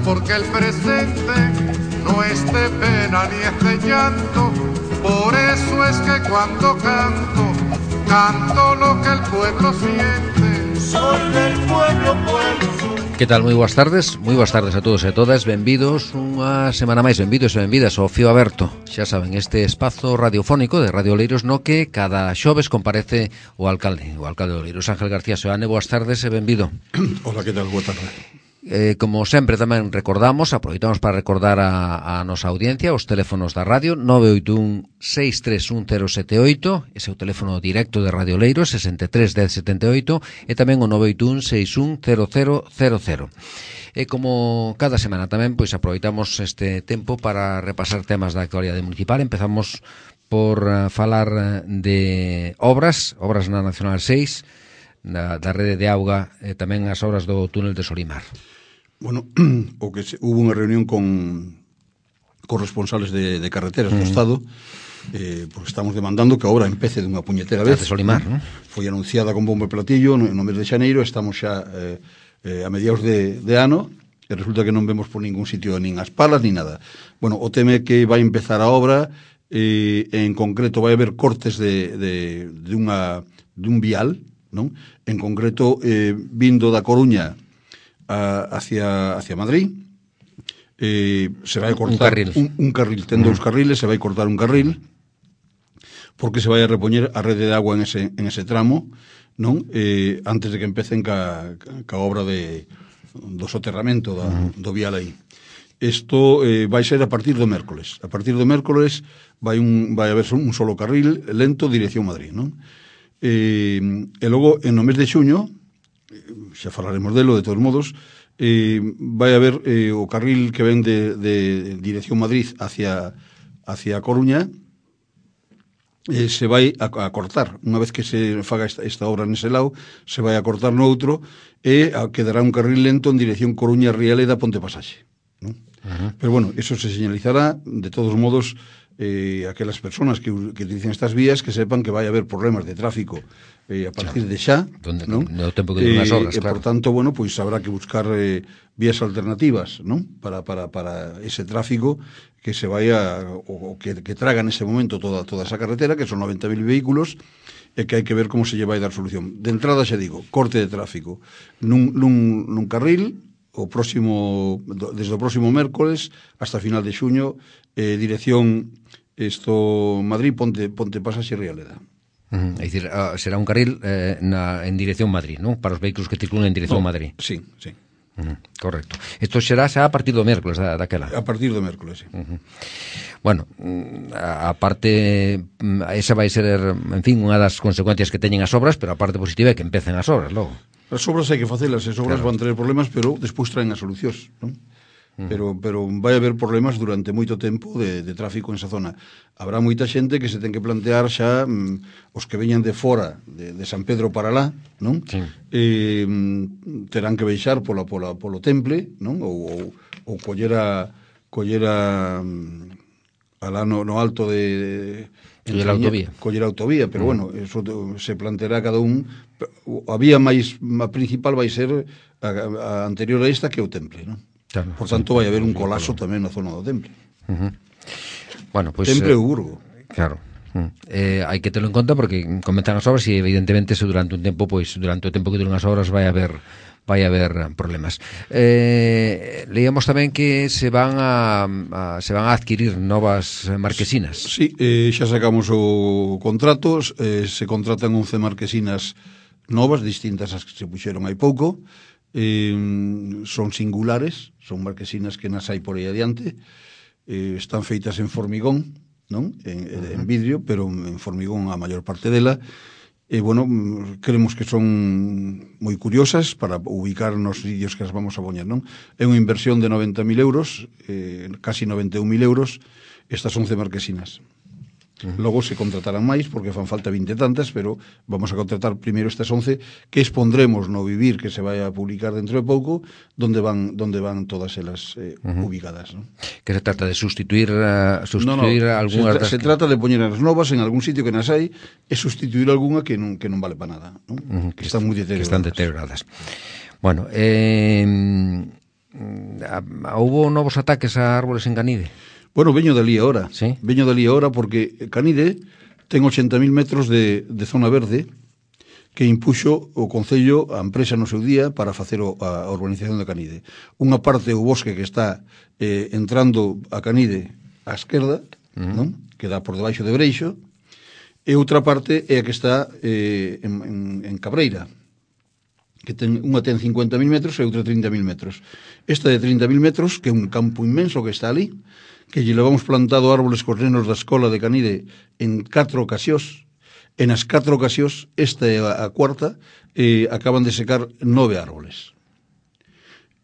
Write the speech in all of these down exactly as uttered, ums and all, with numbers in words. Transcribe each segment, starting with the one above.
porque el presente no es de pena ni es de llanto. Por eso es que cuando canto, canto lo que el pueblo siente. Soy del pueblo, pueblo. Que tal? Moi boas tardes, moi boas tardes a todos e a todas. Benvidos unha semana máis, benvidos e benvidas ao Fío Aberto. Xa saben, este espazo radiofónico de Radio Oleiros no que cada xoves comparece o alcalde, o alcalde de Oleiros, Ángel García Seoane. Boas tardes e benvido. Hola, que tal? Boa tarde. Eh, como sempre tamén recordamos, aproveitamos para recordar a, a nosa audiencia os teléfonos da radio nove oito un, seis tres un, cero sete oito, ese é o teléfono directo de Radio Oleiros, sesenta e tres, dez, setenta e oito, e tamén o nove oito un, seis un, cero cero cero cero. E como cada semana tamén, pois aproveitamos este tempo para repasar temas da actualidade municipal. Empezamos por uh, falar de obras, obras na Nacional seis, da, da rede de auga, e tamén as obras do túnel de Solimar. Bueno, o que se, hubo unha reunión con con responsables de, de carreteras do mm. Estado, eh, porque estamos demandando que a obra empece dunha puñetera vez. De Solimar, non? Foi anunciada con bombo e platillo no, no mes de xaneiro, estamos xa eh, eh, a mediados de, de ano, e resulta que non vemos por ningún sitio nin as palas, nin nada. Bueno, o teme que vai empezar a obra, eh, en concreto vai haber cortes de, de, de, unha, de un vial, non? En concreto, eh, vindo da Coruña a, hacia, hacia Madrid, eh, se vai cortar un carril, un, un carril ten dous carriles, se vai cortar un carril porque se vai a repoñer a rede de agua en ese, en ese tramo, non? Eh, antes de que empecen ca, ca obra de, do soterramento da, uh-huh. do vial aí. Isto eh, vai ser a partir do mércoles. A partir do mércoles vai, un, vai haber un solo carril lento dirección Madrid, non? Eh, e logo, en no mes de xuño, xa falaremos delo, de todos modos, eh, vai haber eh, o carril que ven de, de dirección Madrid hacia, hacia Coruña, eh, se vai a, a cortar. Unha vez que se faga esta, esta obra nese lado, se vai a cortar no outro e a, quedará un carril lento en dirección Coruña-Rialeda Ponte Pasaxe, non? Uh-huh. Pero bueno, eso se señalizará. De todos modos, eh, aquelas personas que, que utilicen estas vías que sepan que vai haber problemas de tráfico eh, a partir de xa, donde, non? No tempo que duran as obras, eh, claro. Por tanto, bueno, pois pues, habrá que buscar eh, vías alternativas, non? Para, para, para ese tráfico que se vaya, o, o que, que traga en ese momento toda, toda esa carretera, que son noventa mil vehículos, e que hai que ver como se lle vai dar solución. De entrada, xa digo, corte de tráfico nun, nun, nun carril, o próximo, desde o próximo mércoles hasta final de xuño, eh, dirección esto Madrid, Ponte, Ponte Pasaxe e Rialeda. Uh-huh. É dicir, uh, será un carril eh, na, en dirección Madrid, non? Para os vehículos que circulan en dirección no, Madrid. Sí, sí. Uh-huh. Correcto. Isto será xa a partir do mércoles da, daquela. A partir do mércoles, sí. Uh-huh. Bueno, a, a parte, esa vai ser, en fin, unha das consecuencias que teñen as obras, pero a parte positiva é que empecen as obras logo. As obras hai que facelas, as obras claro. van traer problemas, pero despois traen as solucións, non? Pero, pero vai haber problemas durante moito tempo de, de tráfico en esa zona. Habrá moita xente que se ten que plantear xa mm, os que veñan de fora de, de San Pedro para lá, non? Sí. Eh, terán que baixar pola, pola, polo temple, non? Ou, ou, ou collera collera mm, alá no, no alto de... Coller a autovía. Coller a autovía, pero mm. bueno, eso se planteará cada un. A vía máis a principal vai ser a, a anterior a esta, que é o temple, non? Claro, por tanto, vai haber un colapso tamén na zona do temple. Uh-huh. Bueno, pues, temple eh, ou Burgo. Claro. Uh, eh, hai que terlo en conta porque comenzan as obras e evidentemente se durante un tempo, pois durante o tempo que duran as obras vai haber vai haber problemas. Eh, leíamos tamén que se van a, a se van a adquirir novas marquesinas. Sí, eh, xa sacamos o contrato, eh, se contratan once marquesinas novas, distintas as que se puxeron hai pouco. Eh, son singulares, son marquesinas que nas hai por aí adiante, eh, están feitas en formigón, non? En, uh-huh. en vidrio, pero en formigón a maior parte dela, e bueno, creemos que son moi curiosas para ubicar nos sitios que as vamos a poñer, non? É unha inversión de noventa mil euros, eh, casi noventa e un mil euros, estas once marquesinas. Uh-huh. Logo se contratarán máis porque fan falta vinte tantas, pero vamos a contratar primeiro estas once que expondremos no Vivir, que se vai a publicar dentro de pouco, donde van donde van todas elas eh, uh-huh. ubicadas, ¿no? Que se trata de sustituir uh, sustituir no, no, algunhas se, das se que... trata de poñer as novas en algún sitio que nas hai e sustituir algunha que non que non vale para nada, ¿no? Uh-huh. Que están moi deterioradas. Que están deterioradas. Bueno, eh a, a, hubo novos ataques a árboles en Canide? Bueno, veño dali ahora. Sí? Veño dali ahora porque Canide ten ochenta mil metros de, de zona verde que impuxo o Concello a empresa no seu día para facer o, a urbanización de Canide. Unha parte do bosque que está eh, entrando a Canide á esquerda, uh-huh. non? Que dá por debaixo de Breixo, e outra parte é a que está eh, en, en, en Cabreira, que ten, unha ten cincuenta mil metros e outra trinta mil metros. Esta de trinta mil metros, que é un campo inmenso que está ali, que lle levamos plantado árboles cos nenos da escola de Canide en catro ocasións, e nas catro ocasións, esta é a cuarta, eh, acaban de secar nove árboles.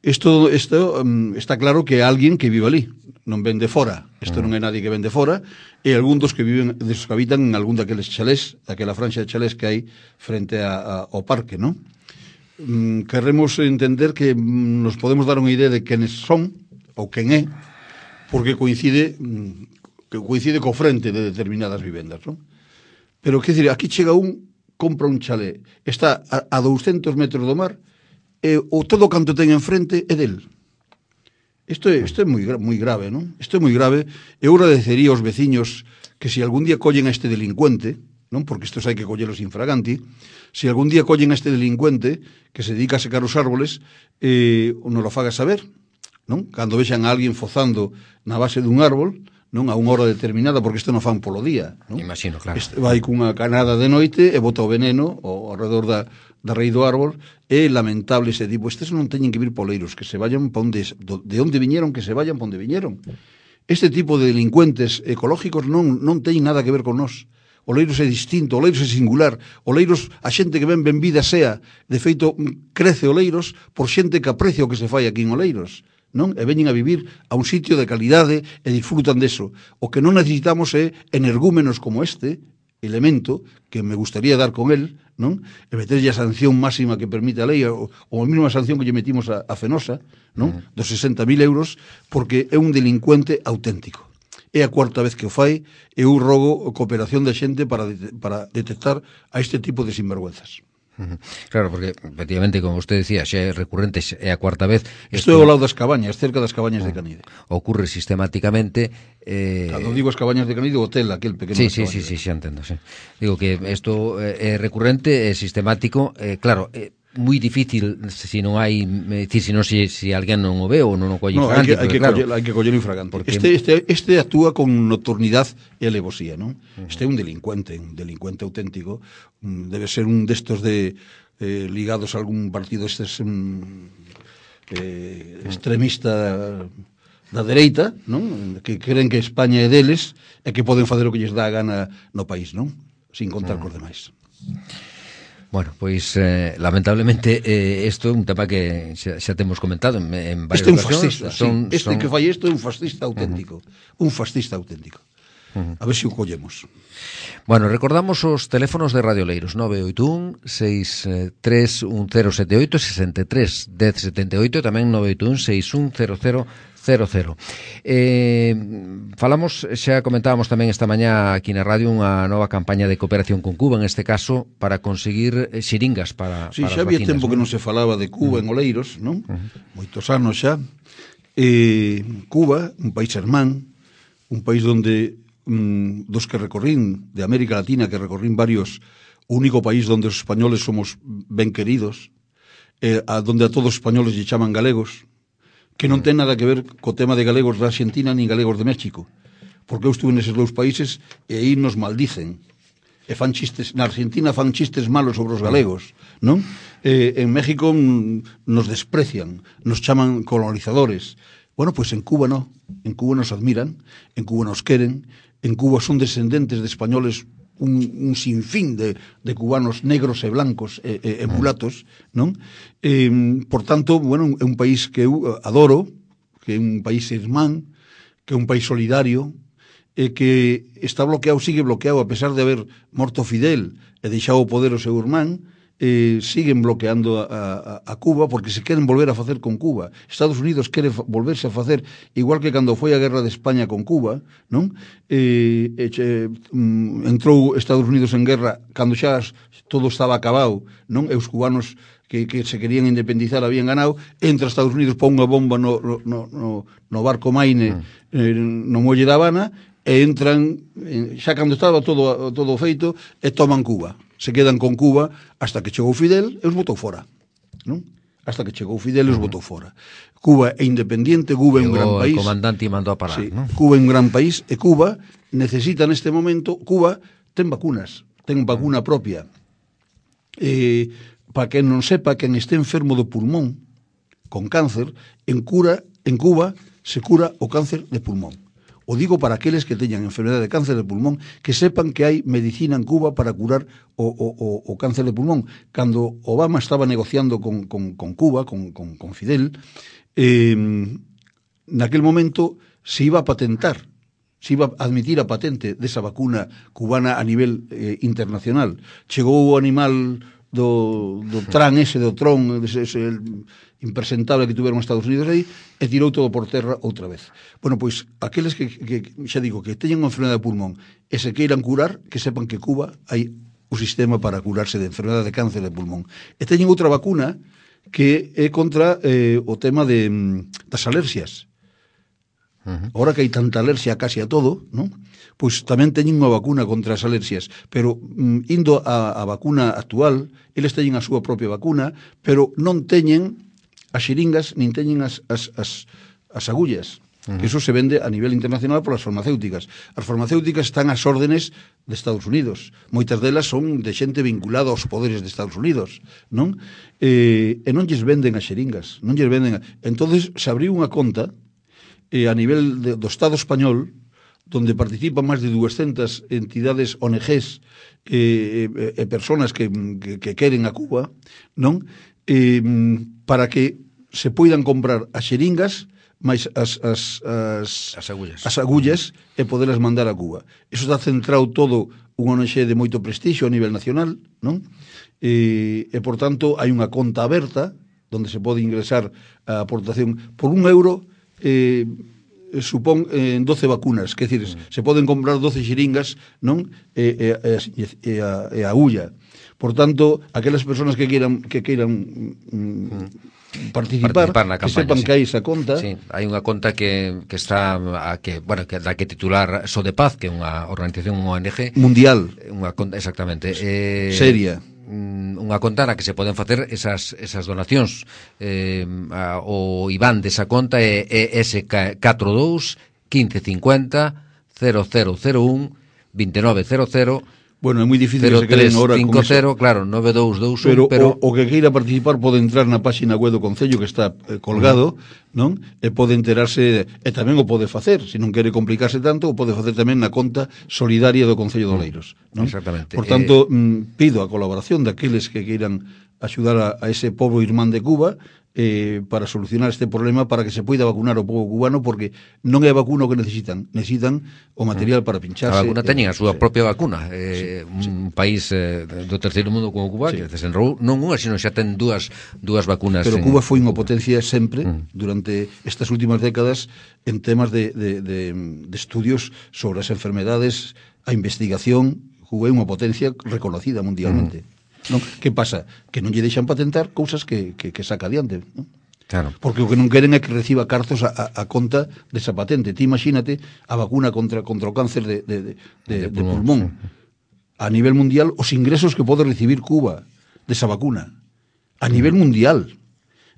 Isto, isto um, está claro que é alguén que vive ali, non ven de fora. Isto non é nadie que ven de fora, e algún dos que viven, dos que habitan en algún daqueles chalés, daquela franxa de chalés que hai frente a, a, ao parque, non? Um, queremos entender que um, nos podemos dar unha idea de quenes son, ou quen é, porque coincide que coincide co frente de determinadas vivendas, non? Pero, que dicir, aquí chega un, compra un chalé, está a, a douscentos metros do mar, e o todo canto ten enfrente é del. Isto é, isto é moi, moi grave, non? Isto é moi grave. Eu agradecería aos veciños que se algún día collen a este delincuente, non? Porque estos hai que collelos infraganti, se algún día collen a este delincuente que se dedica a secar os árboles, eh, non lo faga saber, non? Cando vexan a alguén fozando na base dun árbol, non, a unha hora determinada, porque isto non fan polo día, non? Imagino, claro. Este vai cunha canada de noite e bota o veneno ao alrededor da, da rei do árbol. É lamentable ese tipo. Estes non teñen que vir poleiros, que se vayan pa onde, de onde viñeron, que se vayan pa onde viñeron. Este tipo de delincuentes ecológicos non, non teñen nada que ver con nós. Oleiros é distinto, Oleiros é singular. Oleiros, a xente que ven ben vida sea, de feito, crece Oleiros por xente que aprecia o que se fai aquí en Oleiros, non? E veñen a vivir a un sitio de calidade e disfrutan deso. O que non necesitamos é energúmenos como este elemento, que me gustaría dar con el, non? E meterlle a sanción máxima que permite a lei, ou, ou a mesma sanción que lle metimos a, a Fenosa, non? Uh-huh. Dos sesenta mil euros, porque é un delincuente auténtico. É a cuarta vez que o fai, e eu rogo cooperación da xente para, de, para detectar a este tipo de sinvergüenzas. Claro, porque efectivamente, como usted decía, xa é recurrente, é a cuarta vez. Isto é ao lado das cabañas, cerca das cabañas de Canide. Ocurre sistemáticamente. Eh... Cando digo as cabañas de Canide, o hotel, aquel pequeno. Sí, sí, sí, sí, xa entendo, sí. Digo que isto é recurrente, é sistemático, eh, claro, é moi difícil se non hai, decir, se non se si alguén non o ve ou non o colle no, infragante. Hai que, claro, coller, hai que coller infragante. Porque... Este, este, este actúa con nocturnidade e alevosía, non? Uh-huh. Este é un delincuente, un delincuente auténtico. Debe ser un destos de eh, ligados a algún partido estes um, eh, extremista da dereita, non? Que creen que España é deles e que poden facer o que lles dá a gana no país, non? Sin contar uh-huh. cos demais. Bueno, pois, eh, lamentablemente, isto eh, é un tema que xa, xa temos comentado en, en varias este é un ocasións. Fascista, son, sí. Este son... que fai isto é un fascista auténtico. Uh-huh. Un fascista auténtico. Uh-huh. A ver se o collemos. Bueno, recordamos os teléfonos de Radio Oleiros: nove oito un, seis tres un cero sete oito, sesenta e tres, dez setenta e oito, tamén nove oito un, seis un cero cero cero cero. Eh, falamos, xa comentábamos tamén esta mañá aquí na radio unha nova campaña de cooperación con Cuba, en este caso para conseguir xiringas para, sí, para xa as había vacinas, tempo ¿no? que non se falaba de Cuba uh-huh. en Oleiros, non? Uh-huh. Moitos anos xa. Eh, Cuba, un país hermán, un país donde um, dos que recorrín de América Latina, que recorrín varios, o único país donde os españoles somos ben queridos, eh, a donde a todos os españoles lle chaman galegos, que non ten nada que ver co tema de galegos da Argentina nin galegos de México, porque eu estuve neses dous países e aí nos maldicen e fan chistes, na Argentina fan chistes malos sobre os galegos, non? Eh, en México nos desprecian, nos chaman colonizadores. Bueno, pois pues en Cuba non, en Cuba nos admiran, en Cuba nos queren, en Cuba son descendentes de españoles un, un sinfín de, de cubanos negros e blancos e, e, e mulatos, non? Eh, por tanto, bueno, é un país que eu adoro, que é un país irmán, que é un país solidario, e que está bloqueado, sigue bloqueado, a pesar de haber morto Fidel e deixado o poder o seu irmán, eh, siguen bloqueando a, a, a Cuba porque se queren volver a facer con Cuba. Estados Unidos quere volverse a facer igual que cando foi a guerra de España con Cuba, non? Eh, eh, entrou Estados Unidos en guerra cando xa todo estaba acabado, non? E os cubanos que, que se querían independizar habían ganado, entra Estados Unidos, pon unha bomba no, no, no, no barco Maine, mm. eh, no muelle da Habana, e entran, eh, xa cando estaba todo, todo feito, e toman Cuba. Se quedan con Cuba hasta que chegou Fidel e os botou fora, non? Hasta que chegou Fidel e os mm. botou fora. Cuba é independiente, Cuba é un gran país. O comandante mandou a parar, sí, non? Cuba é un gran país, e Cuba necesita neste momento, Cuba ten vacunas, ten vacuna propia. Eh, para quen non sepa, quen este enfermo do pulmón con cáncer, en cura en Cuba se cura o cáncer de pulmón. O digo para aqueles que teñan enfermedade de cáncer de pulmón, que sepan que hai medicina en Cuba para curar o, o, o, o cáncer de pulmón. Cando Obama estaba negociando con, con, con Cuba, con, con, con Fidel, eh, naquel momento se iba a patentar, se iba a admitir a patente desa vacuna cubana a nivel eh, internacional. Chegou o animal do, do tran ese, do tron, ese, ese impresentable que tuveron os Estados Unidos aí, e tirou todo por terra outra vez. Bueno, pois, aqueles que, que xa digo, que teñen unha enfermedade de pulmón e se queiran curar, que sepan que Cuba hai o sistema para curarse de enfermedade de cáncer de pulmón. E teñen outra vacuna que é contra eh, o tema de, das alerxias. Uh-huh. Ahora que hai tanta alerxia casi a todo, non? Pois tamén teñen unha vacuna contra as alerxias, pero mm, indo a, a vacuna actual, eles teñen a súa propia vacuna, pero non teñen as xeringas, nin teñen as, as, as, as agullas. Uh-huh. Que eso se vende a nivel internacional polas farmacéuticas. As farmacéuticas están ás órdenes de Estados Unidos. Moitas delas son de xente vinculada aos poderes de Estados Unidos, non? E, e non lles venden as xeringas, non lles venden. A... Entonces se abriu unha conta eh, a nivel de, do Estado español, donde participan máis de duascentas entidades O N Ges e, e, e personas que, que, que queren a Cuba, non? Eh, para que se poidan comprar as xeringas máis as, as, as, as agullas, as agullas e podelas mandar a Cuba. Eso está centrado todo un O N G de moito prestixio a nivel nacional, non? E, e por tanto, hai unha conta aberta donde se pode ingresar a aportación por un euro, eh, supón en eh, doce vacunas, que decir, mm. se poden comprar doce xeringas, non? E, e, e, e, a, e a agulla. Por tanto, aquelas persoas que queiran que queiran mm, participar, participar na campaña, que sepan sí. que hai esa conta. Sí, hai unha conta que, que está a que, bueno, que da que titular Sodepaz, que é unha organización O N G mundial, unha conta exactamente, eh, seria. Unha conta na que se poden facer esas, esas donacións. Eh, a, o I B A N desa conta é S catro dous quince cincuenta cero cero cero un vinte e nove cero cero. Bueno, é moi difícil que se queden ahora con eso. Claro, nove dous dous un, pero, pero... O, o que queira participar pode entrar na páxina web do Concello que está eh, colgado, mm. non? E pode enterarse, e tamén o pode facer, se non quere complicarse tanto, o pode facer tamén na conta solidaria do Concello de Oleiros, non? Exactamente. Por tanto, eh... mm, pido a colaboración daqueles que queiran axudar a, a ese pobo irmán de Cuba eh, para solucionar este problema, para que se poida vacunar o pobo cubano, porque non é a vacuna o que necesitan, necesitan o material para pincharse. A vacuna teñen a súa sí. propia vacuna. Eh, sí, un sí. país eh, do terceiro mundo como Cuba, sí. que desenrou non unha, sino xa ten dúas, dúas vacunas. Pero Cuba foi unha potencia sempre, mm. durante estas últimas décadas, en temas de, de, de, de estudios sobre as enfermedades, a investigación. Cuba é unha potencia reconocida mundialmente. Mm. Non? Que pasa? Que non lle deixan patentar cousas que, que, que saca adiante, non? Claro. Porque o que non queren é que reciba cartos a, a, a conta desa patente. Ti imagínate a vacuna contra, contra o cáncer de, de, de, de, de pulmón. De pulmón. A nivel mundial, os ingresos que pode recibir Cuba desa vacuna. A nivel mm. mundial.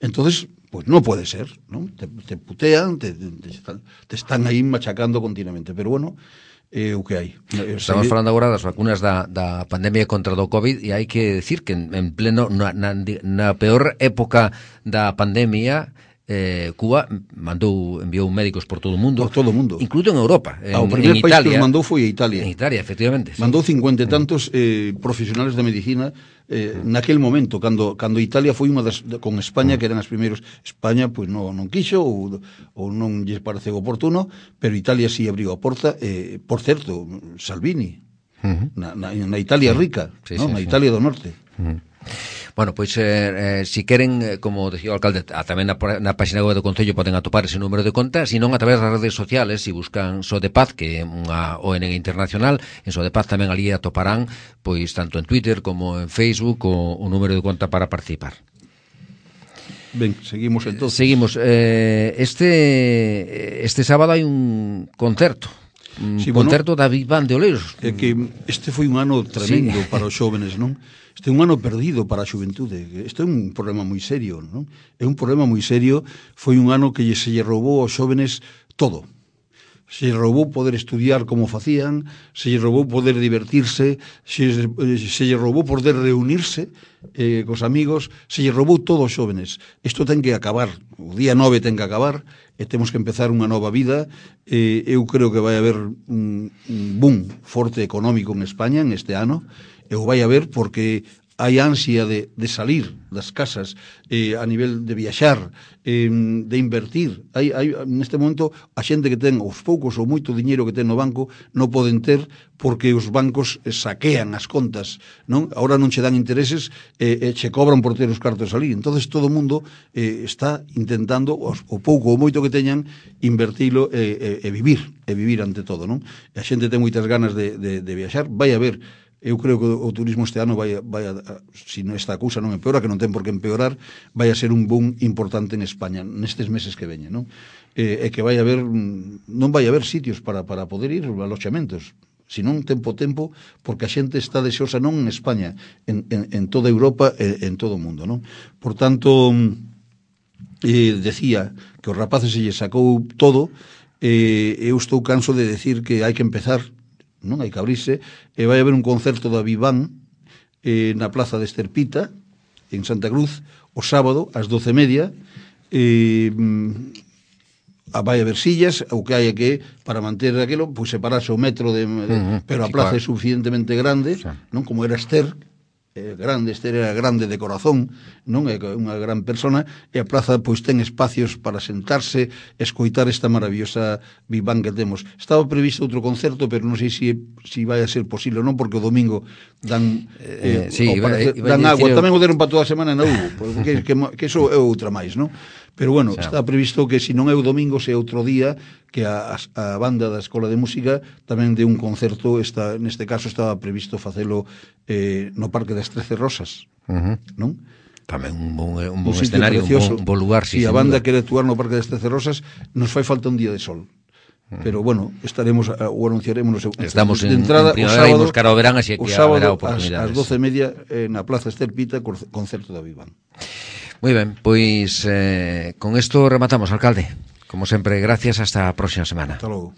Entonces, pues non pode ser, non? Te, te putean, te, te, te están aí machacando continuamente. Pero bueno, é o que hai. Estamos falando agora das vacunas da, da pandemia contra do COVID, e hai que decir que en, en pleno na, na, na peor época da pandemia, eh, Cuba mandou, enviou médicos por todo o mundo, por todo o mundo, incluído en Europa, en, ah, o primer en país Italia, que os mandou foi a Italia. En Italia, efectivamente. Mandou cincuenta e tantos eh, profesionales de medicina eh, naquel momento, cando cando Italia foi unha das, con España, que eran as primeiros. España pois non, non quixo ou, ou non lles pareceu oportuno, pero Italia si sí abriu a porta. Eh, por certo, Salvini, uh-huh. na, na, na Italia sí. rica, sí, ¿no? sí, na sí. Italia do Norte. Uh-huh. Bueno, pois, eh, eh, si queren, eh, como decía o alcalde, a, tamén na, na página web do Concello poden atopar ese número de conta, se non a través das redes sociales, se si buscan Sodepaz, que é unha O N G internacional, en Sodepaz tamén ali atoparán, pois, tanto en Twitter como en Facebook, o, o número de conta para participar. Ben, seguimos entonces. Seguimos. Eh, este este sábado hai un concerto. Un sí, concerto bueno, da Big Band de Oleiros. É que este foi un ano tremendo sí. para os xóvenes, non? Este é un ano perdido para a xuventude. Este é un problema moi serio, non? É un problema moi serio. Foi un ano que se lle roubou aos xóvenes todo. Se lle roubou poder estudiar como facían, se lle roubou poder divertirse, se, se lle roubou poder reunirse eh, cos amigos, se lle roubou todo aos xóvenes. Isto ten que acabar, o día nove ten que acabar, e temos que empezar unha nova vida. Eh, eu creo que vai haber un, un boom forte económico en España en este ano, e o vai haber porque hai ansia de, de salir das casas, eh, a nivel de viaxar, eh, de invertir. Hai, hai, neste momento, a xente que ten os poucos ou moito diñeiro que ten no banco non poden ter porque os bancos saquean as contas, non? Ahora non che dan intereses e eh, eh, che cobran por ter os cartos salir. Entonces todo o mundo eh, está intentando, os, o pouco ou moito que teñan, invertilo e, e, e vivir, e vivir ante todo, non? E a xente ten moitas ganas de, de, de viaxar. Vai haber, eu creo que o turismo este ano vai, vai a, se non esta cousa non empeora, que non ten por que empeorar, vai a ser un boom importante en España nestes meses que veñen, non? E, e que vai haber, non vai haber sitios para, para poder ir, aloxamentos, senón tempo tempo, porque a xente está deseosa non en España, en, en, en toda Europa e en todo o mundo, non? Por tanto, eh, decía que os rapaces se lle sacou todo, eh, eu estou canso de decir que hai que empezar, non hai que abrirse, e vai haber un concerto da Viván eh, na plaza de Esterpita en Santa Cruz o sábado ás doce e media. eh, vai haber sillas, o que hai é que para manter aquilo, pois separarse o metro de, de, uh-huh, pero a plaza sí, claro, é suficientemente grande, sí, non como era Ester, eh, grande, Ester era grande de corazón, non é unha gran persona, e a plaza pois ten espacios para sentarse, escoitar esta maravillosa Viván que temos. Estaba previsto outro concerto, pero non sei se si, si vai a ser posible ou non, porque o domingo dan eh, eh, sí, parece, iba, iba dan agua, tamén o deron para toda a semana na Hugo, porque que, que iso é outra máis, non? Pero bueno, xa, está previsto que se non é o domingo, se é outro día, que a, a banda da Escola de Música tamén de un concerto, está, neste caso estaba previsto facelo eh, no Parque das Trece Rosas, uh-huh, non? Tamén un bon, un bon un escenario, un bon, un bon lugar. Si sí, a banda quere actuar no Parque das Trece Rosas, nos fai falta un día de sol. Pero bueno, estaremos o anunciaremos estamos de en, entrada, en primavera, imos cara ao verán, así que haberá ás oportunidades. doce e media eh, na Plaza Esterpita, concerto da Viván. Moi ben, pois eh, con isto rematamos, alcalde. Como sempre, gracias, hasta a próxima semana. Hasta logo.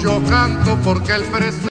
Yo canto porque el presente